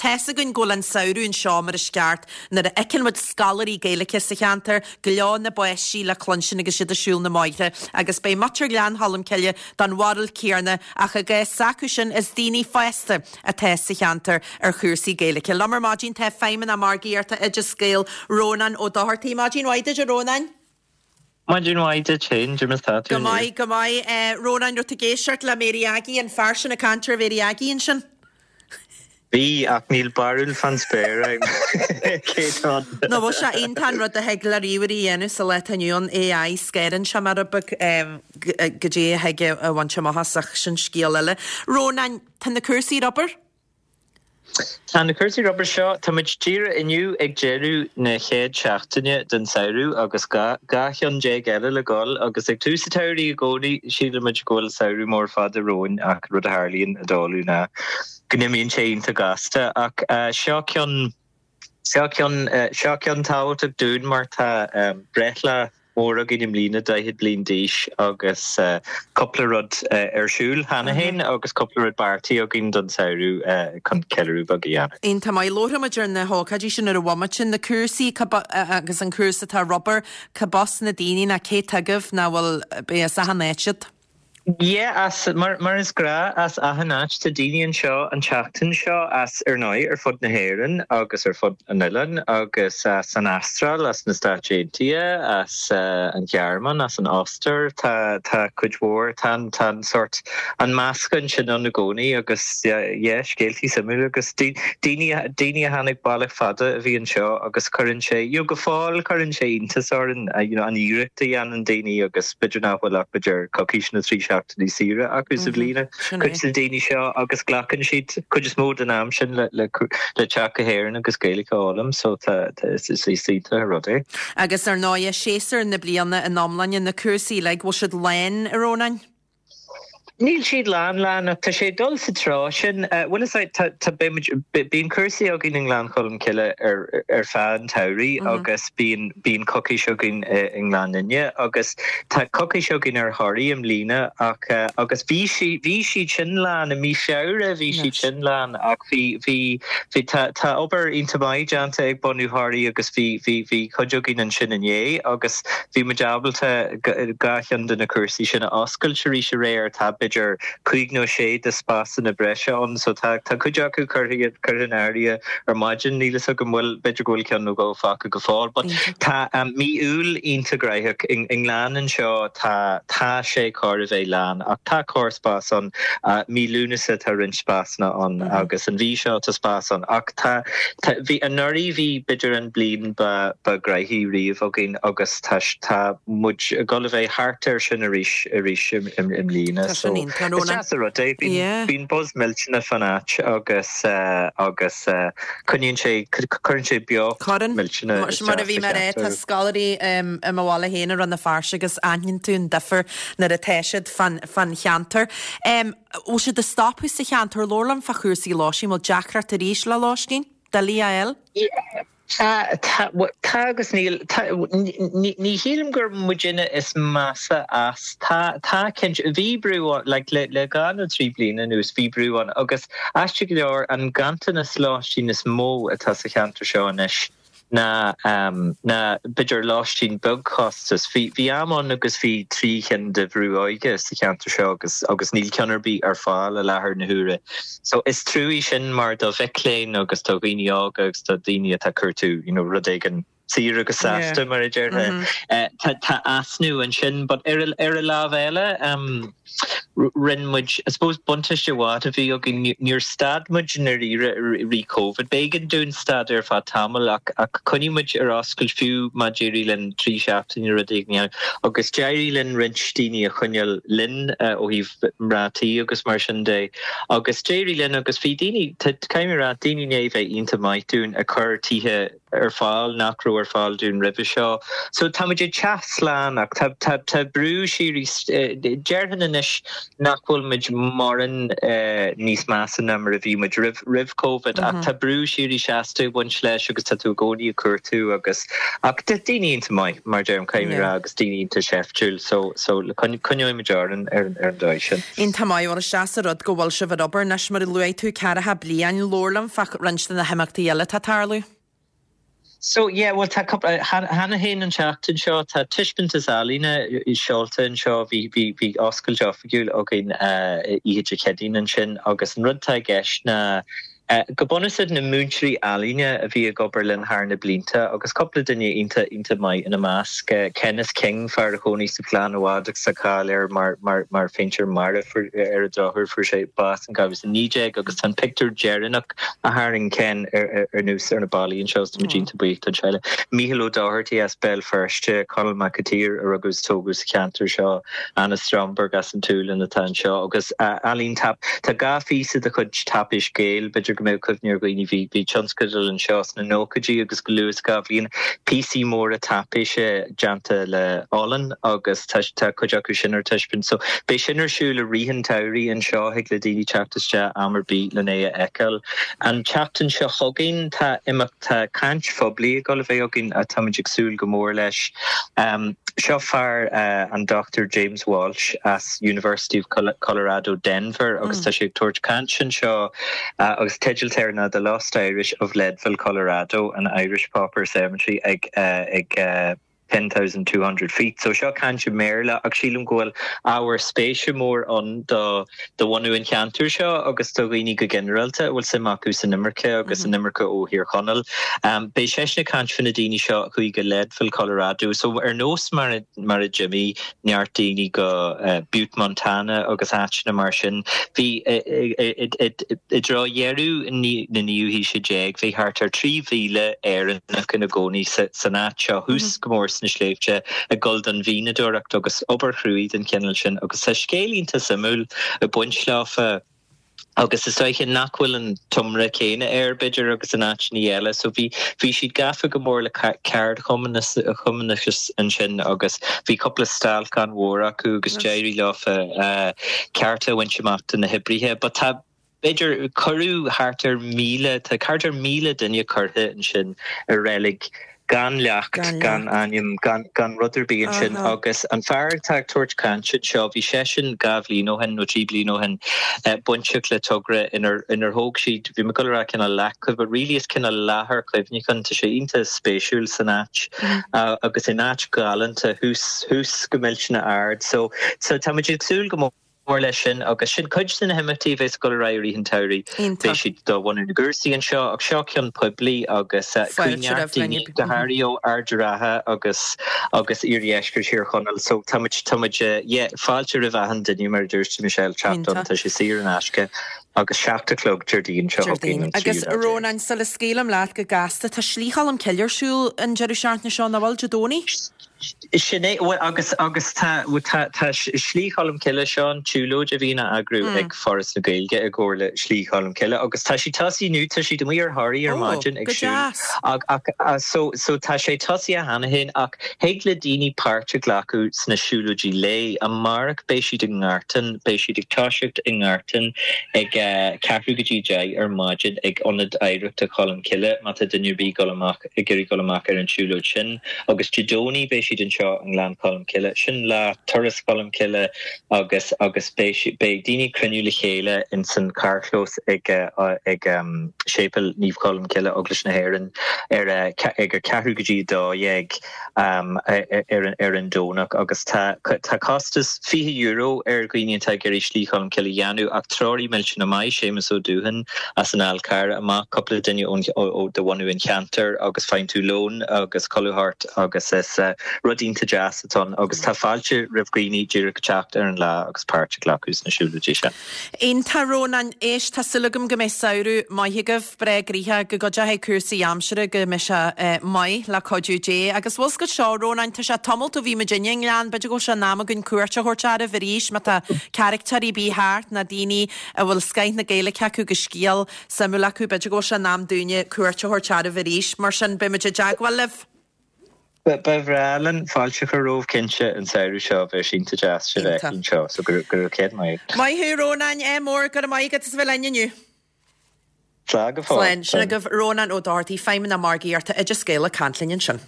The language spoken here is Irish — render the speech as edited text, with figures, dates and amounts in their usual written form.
tá's againn go bhfuil an samhradh anseo mar is ceart nuair a fheiceann muid scoláirí Gaeilge sa cheantar, gleo na bpáistí le cluinstin agus iad ag siúl na mbóithre agus beidh muintir Ghleann Cholm Cille den bharúil céanna ach i gcás s'acu sin is daoine fásta atá sa cheantar ar chúrsaí Gaeilge. Liom ar maidin tá Feidhmeannach Margaíochta Oideas Gael, Rónán Ó Dochartaigh. Maidin mhaith duit a Rónáin. Maidin mhaith duit féin, cad é mar atá tú Go maith, go maith. Rónáin, raibh tú ag éisteacht le Mary Aggie, an fear sin ag caint ar Mhary Aggie ansin? Bhí, ach níl barúil fán spéir agam cé tá ann. Nó bhfuil sé iontach an rud a thig le ríomhairí a dhéanamh sa lá atá inniu ann, AI, scannaíonn sé mar a bheadh goidé a thig a bhaint amach as ach sin scéal eile. Rónáin, tá na cúrsaí ar obair? Tá na cúrsaí ar obair seo, tá muid díreach inniu ag deireadh na chéad seachtaine den samhradh agus 12 cheann eile le dhul agus ag tús an tsamhraidh i gcónaí sílimid go bhfuil samhradh mór fada romhainn ach rud a tharlaíonn i dtólamh ná go n-imíonn sé iontach gasta ach seo ceann seo ceann seo ceann tábhachtach dúinn mar tá breithlá mór againn i mbliana, 40 bliain d'aois agus cúpla rud ar siúl cheana féin agus cúpla rud beartaithe againn don samhradh chun ceiliúradh beag a dhéanamh. Iontach maith. Labharfaidh muid ar na hócáidí sin ar an bhomaite, na cúrsaí agus an cúrsa atá ar obair, cad as na daoine ná cé atá agaibh ná bhfuil, beidh as achan áit iad. Yeah, as, mar, mar is gnáth, as achan áit. Tá daoine anseo an tseachtain seo as, ar ndóigh, ar fud na hÉireann agus ar fud an oileáin agus as an Astráil, as na Stáit Aontaithe, as an Ghearmáin, as an Ostair. Tá, tá cuid mhór, tá an, tá an sórt, an meascán sin ann i gcónaí agus yeah, yeah, scéaltaí suimiúla agus daoine, daoine a tháinig bealach fada a bhí anseo agus cuireann sé, you know, go fóill cuireann sé iontas orainn, you know, an iarracht a dhéanann daoine agus b'fhéidir nach bhfuil ach b'fhéidir coicís nó 3 seachtainí saoire acu sa bhliain, cuid de na daoine seo agus glacann siad cuid is mó den am sin le le le teacht go hÉirinn agus Gaeilge a fhoghlaim so tá tá is is is iontach an rud é. Agus ar ndóighe, séasúr na bliana in iomláine, na cúrsaí uilig, bhfuil siad lán, a Rónáin? Níl siad lán lán ach tá sé ag dul sa treo sin. Bhuel is é, tá, tá, beidh muid, bíonn cúrsaí againn i nGleann Cholm Cille ar, ar feadh an tsamhraidh agus bíonn, bíonn coicís againn i, i nGleann Fhinne agus tá coicís againn ar Thoraigh i mbliana ach, agus bhí sí, bhí siad sin lán i mí Feabhra, bhí siad sin lán ach bhí, bhí, bhí, tá, tá obair iontach maith déanta ag bunú Thoraí agus bhí, bhí, bhí cuid againn ansin inné agus bhí muid ábalta 2 cheann de na cúrsaí sin a oscailt arís aréir. Tá b'fhéidir 5 nó 6 de spásanna breise ann so tá tá cuid acu curtha curtha in áirithe ar maidin. Níl fhios agam bhfuil, b'fhéidir go bhfuil ceann nó dhó fágtha go fóill. But tá mí Iúil iontach gnóthach. I nGleann anseo tá tá sé chóir a bheith lán ach tá corrspás ann. Mí Lúnasa tá roinnt spásanna ann agus an mhí seo tá spás ann ach tá tá bhí anuraidh bhí b'fhéidir an bliain ba ba ghnoithí riamh againn agus tá tá muid ag dul a bheith thart air sin arís arís i mbliana. Tá sin iontach, Is deas an rud é. Bíonn bíonn buzz millteanach fán áit agus agus coinníonn sé cuireann sé beocht millteanach Mar a bhí mé a rá, tá scoláirí i mo bhaile féin i Rann na Feirste agus aithníonn tú an difear nuair atá siad fán fán cheantar. Bhfuil siad ag stopadh sa cheantar? Labhair liom fá chúrsaí lóistín. Bhfuil deacracht arís le lóistín? Doiligh a fháil? Tá, tá, tá agus níl. Tá, ní, ní shílim gur muidinne is measa as. Tá, tá cinnte, bhí brú ann, like, le, le dhá nó trí bliana anuas, bhí brú ann agus aisteach go leor, an ganntanas lóistín is mó atá sa cheantar seo anois ná, ná b'fhéidir lóistín beagchostais. Bhí, bhí am ann agus bhí 3 chinn de bhrú óige sa cheantar seo agus, agus níl ceann ar bith ar fáil i láthair na huaire. So is trua sin mar do mhic léinn agus do dhaoine óga agus do dhaoine atá ag cuartú you know rud éigin saor agus sásta mar a déarfá. Tá tá easnamh ansin but ar a ar a lámh eile um rinne muid I suppose buntáiste mhaith a bhí againn níor stad muid i ndáiríre i rith Covid. B'éigean dúinn stad ar feadh tamaill ach ach choinnigh muid ar oscailt fiú má d'éirigh linn 3 seachtaine rud éigin a dhéanamh agus d'éirigh linn roinnt daoine a choinneáil linn ó thaobh mná tí agus mar sin de. Agus d'éirigh linn agus bhí daoine, caithfidh mé a rá, daoine i ndiaidh bheith iontach maith dúinn ag cur tithe ar fáil nach raibh ar. raibh ar fáil dúinn roimhe seo. So tá muid ag teacht slán ach tá tá tá brú síoraí déarfainn anois nach bhfuil muid mórán níos measa ná mar a bhí muid roimh roimh Covid ach tá brú síoraí seasta ag baint leis agus tá tú i gcónaí ag cuartú agus ach daoine iontach maith mar deirim caithfidh mé a rá agus daoine iontach seiftiúil so so coinneoidh muid orainn ar an dóigh sin. Iontach maith, bhuel is deas an rud go bhfuil sibh ar obair anois mar a luaigh tú ceathracha bliain, labhair liom fá roinnt de na himeachtaí eile atá ag tarlú. So yeah, bhuel tá cúpla, cheana féin an tseachtain seo tá taispeántas ealaíne seolta anseo, bhí bhí bhí oscailt oifigiúil againn oíche Dé Céadaoin ansin agus an rud atá i gceist ná Go bunúsach na múinteoirí ealaíne a bhí ag obair linn thar na blianta agus cúpla duine iontach iontach maith ina measc, Kenneth King, fear a chónaigh sa Ghleann i bhfad agus tá cáil air mar mar mar phéintéir mara ar an drochuair fuair sé bás in 2019 agus tá an pictiúr deireanach a tharraing Ken ar ar nós ar na ballaí anseo is táimid iontach buíoch don teaghlach. Mícheál Ó Dochartaigh as Béal Feirste, Conall Mac an tSaoir a rugadh is tógadh sa cheantar seo, Anna Stromberg as an tSualainn atá anseo agus ealaín tap. Tá 2 phíosa de chuid Taipéis Gael, b'fhéidir go mbeadh cuimhne ar dhaoine, bhí bhí tionscadal anseo sna nóchaidí agus go luath sa 2 bhliain, píosaí móra taipéise déanta le olann agus tá tá cuid acu sin ar taispeáint. So beidh sin ar siúl i rith an tsamhraidh anseo, thig le daoine teacht isteach am ar bith len é a fheiceáil. An tseachtain seo chugainn tá imeacht, tá caint phoiblí ag dul a bheith againn táimid ag súil go mór leis. Seo fear, an Dr James Walsh as University of Colorado Denver agus tá sé ag tabhairt caint anseo agus teideal air ná The Lost Irish of Leadville, Colorado, an Irish Pauper Cemetery ag ag 10,200 feet. So seo caint i mBéarla ach sílim go bhfuil ábhar spéise mór ann do do bhunú an cheantair seo agus do dhaoine go ginearálta a bhfuil suim acu san imirce agus an imirce ó Thír Chonaill. Beidh seisean ag caint fá na daoine seo a chuaigh go Leadville, Colorado. So ar nós mar a mar a d'imigh neart daoine go Butte, Montana agus áiteanna mar sin, bhí i dtreo dheireadh na naoú haoise déag bhí thart ar 3,000 Éireannach ina gcónaí san áit seo thuas go mór sna sléibhte ag dul don mhianadóireacht agus obair chruaidh den chineál sin agus tá scéal iontach suimiúil ag baint leofa agus is dóiche nach bhfuil an t-iomrá céanna air b'fhéidir agus in áiteanna eile so bhí bhí siad gafa go mór le ceardchumannachas ansin agus bhí cúpla stailc an-mhór acu agus d'éirigh leofa cearta a bhaint amach do na hoibrithe but tá B'fhéidir, cuireadh thart ar 1,000, tá thart ar 1,000 duine curtha ansin i reilig gan leacht, gan ainm, gan, gan rud ar bith ansin agus an fear atá ag tabhairt cainte anseo, bhí seisean 2 bhliain ó shin nó 3 bliana ó shin bainteach le togra inar, inar thóg siad, bhí mé ag dul a rá cineál leacht, but really is cineál láthair chuimhneacháin, tá sé iontach spéisiúil san áit agus in áit ghalánta thuas, thuas go millteanach ard so, so tá muid ag súil go mór. mór leis sin agus sin cuid de na himeachtaí a bheas ag dul ar aghaidh i rith an tsamhraidh. Beidh siad do bhunú na gcúrsaí anseo ach seo ceann poiblí agus chuaigh neart daoine go háirithe ó Ard an Rátha agus agus iardheisceart Thír Chonaill so tá muid tá muid yeah fáilte roimh achan duine mar a dúirt tú Michelle teacht ann tá sé saor in aisce agus 7 a chlog Déardaoin seo chugainn an Agus 13ú lá. Rónán, sula scaoilim leat go gasta, tá Slí Cholm Cille ar siúl an deireadh seachtaine seo, nach bhfuil, Dé Domhnaigh? Sin é, bhuel agus, agus tá, tá, tá Slí Cholm Cille, seo an tsiúlóid a bhíonn á eagrú ag Foras na Gaeilge i gcomhar le Slí Cholm Cille agus tá sí tosaithe inniu, tá siad amuigh ar Thoraigh ar maidin ag siúl ach, ach, so, so tá sé tosaithe cheana féin ach thig le daoine páirt a ghlacadh sna siúlóidí lae. Amárach beidh siad i nGartán, beidh siad ag toiseacht i nGartán ag ceathrú go dtí 10 ar maidin ag Ionad Oidhreachta Cholm Cille má tá duine ar bith ag dul amach ag iarraidh dul amach ar an tsiúlóid sin agus Dé Domhnaigh beidh siad anseo i nGleann Cholm Cille. Sin lá Turas Cholm Cille agus agus beidh beidh daoine ag cruinniú le chéile ins an carrchlós ag ag Séipéal Naomh Colm Cille, Eaglais na hÉireann ar ag a ceathrú go dtí a 12 ar ar an Domhnach agus tá tá costas €20 ar dhaoine atá ag iarraidh Slí Cholm Cille a dhéanamh ach treoraí millteanach maith, Séamus Ó Dúthain as an Fhál Carrach amach, cúpla duine ón ó de bhunú an cheantair agus faigheann tú lón agus codladh thart agus is rud iontach deas atá ann agus tá fáilte roimh dhaoine díreach teacht ar an lá agus páirt a ghlacadh sna siúlóidí sin. Iontach, Rónán. Éist, tá súil agam go mbeidh samhradh maith agaibh, breá gnoitheach, go gcuideoidh cúrsaí aimsire go mbeidh sé maith le cuidiú Dé. Agus bhfuil 's agat seo, Rónán, tá sé tamalt ó bhí muid i nGleann, b'fhéidir go bhfuil sé in am againn cuairt a thabhairt oraibh arís má tá carachtéirí ar bith thart ná daoine a bhfuil scoith na Gaeilge acu agus scéal suimiúil acu, b'fhéidir go bhfuil sé in am dúinne cuairt a thabhairt oraibh arís. Mar sin, beidh muid i dteagmháil libh. Ba bhreá linn fáilte a chur romhaibh cinnte an samhradh seo, bheadh sé iontach deas sibh a fheiceáil anseo, so go raibh céad maith agat. Maith thú Rónán, ádh mór, go raibh maith agat as a bheith linn inniu. Slán go fóill. Slán. Sin agaibh Rónán Ó Dochartaigh, Feidhmeannach Margaíochta Oideas Gael ag caint linn ansin.